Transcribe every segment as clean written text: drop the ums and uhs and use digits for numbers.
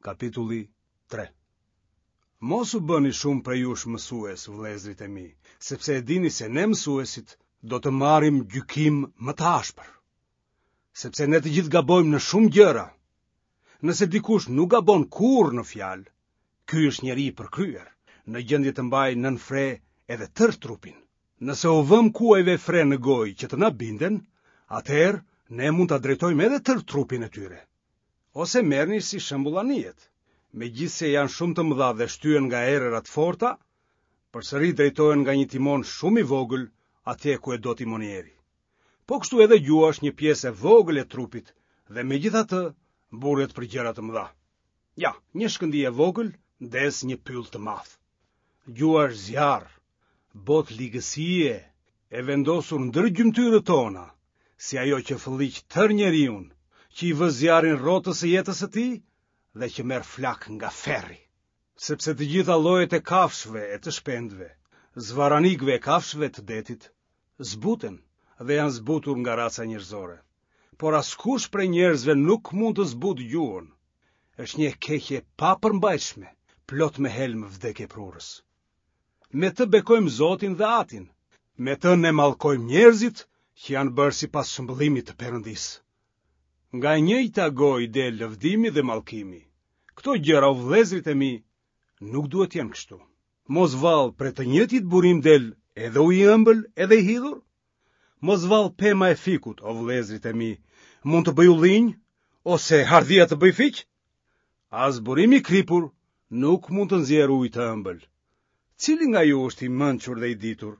Kapitulli 3 Mos u bëni shumë prej jush mësues, vëllezërit e mi, sepse e dini se ne mësuesit do të marrim gjykim më të ashpër. Sepse ne të gjithë gabojmë në shumë gjëra. Nëse dikush nuk gabon kurrë në fjalë, ky është njeri i përkryer, në gjendje të mbajë nën fre edhe tërë trupin. Nëse u vëmë kuajve fre në gojë që të na binden, atëherë ne mund ta drejtojmë edhe tërë trupin e tyre. Ose merrni si shembull anijet. Megjithëse janë shumë të mëdha dhe shtyhen nga erëra të forta, përsëri drejtohen nga një timon shumë i vogël atje ku e do timonieri. Po kështu edhe gjuha është një pjesë e vogël e trupit dhe megjithatë mburret për gjëra të mëdha. Ja, një shkëndijë e vogël ndez një pyll të madh. Gjuha është zjarr, botë ligësie e vendosur ndër gjymtyrët tona, si ajo që fëlliq tërë njeriun, që i vë zjarrin rrotës së jetës së tij dhe që merr flakë nga ferri. Sepse të gjitha llojet e kafshëve e të shpendëve, zvarranikëve e kafshëve të detit, zbuten dhe janë zbutur nga raca njerëzore. Por askush prej njerëzve nuk mund të zbutë gjuhën. Është një e keqe e papërmbajtshme, plot me helm vdekjeprurës. Me të bekojmë Zotin dhe Atin. Me të ne mallkojmë njerëzit që janë bërë sipas shëmbëllimit të Perëndisë. Nga e njëjta gojë del lëvdimi dhe mallkimi. Këto gjëra o vëllezërit e mi nuk duhet të jenë kështu. Mos vallë prej të njëjtit burim del edhe uji i ëmbël edhe i hidhur? Mos vallë pema e fikut, o vëllezërit e mi, mund të bëjë ullinj ose hardhia të bëjë fiq? As burimi i kripur nuk mund të nxjerrë ujë të ëmbël. Cili nga ju është i mençur dhe i ditur?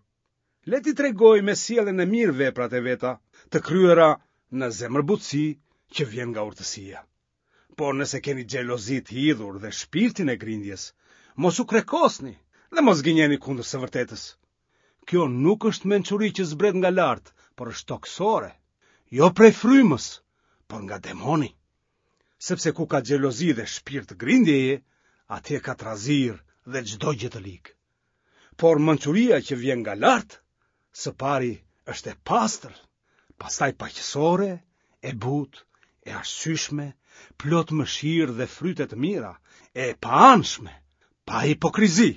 Le t'i tregojë me sjelljen e mirë veprat e veta, të kryera në zemërbutësi që vjen nga urtësia. Por nëse keni xhelozi të hidhur dhe shpirtin e grindjes, mos u krekosni dhe mos gënjeni kundër së vërtetës. Kjo nuk është mençuri që zbret nga lart, por është tokësore, jo prej frymës, por nga demoni. Sepse ku ka xhelozi dhe shpirt grindjeje, atje ka trazirë dhe çdo gjë të ligë. Por mençuria që vjen nga lart, së pari është e pastër, pastaj paqësore, e butë, e arsyeshme, plot mëshirë dhe fryte të mira, e paanshme, pa hipokrizi.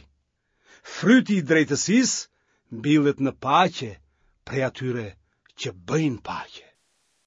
Fryti i drejtësisë mbillet në paqe prej atyre që bëjnë paqe.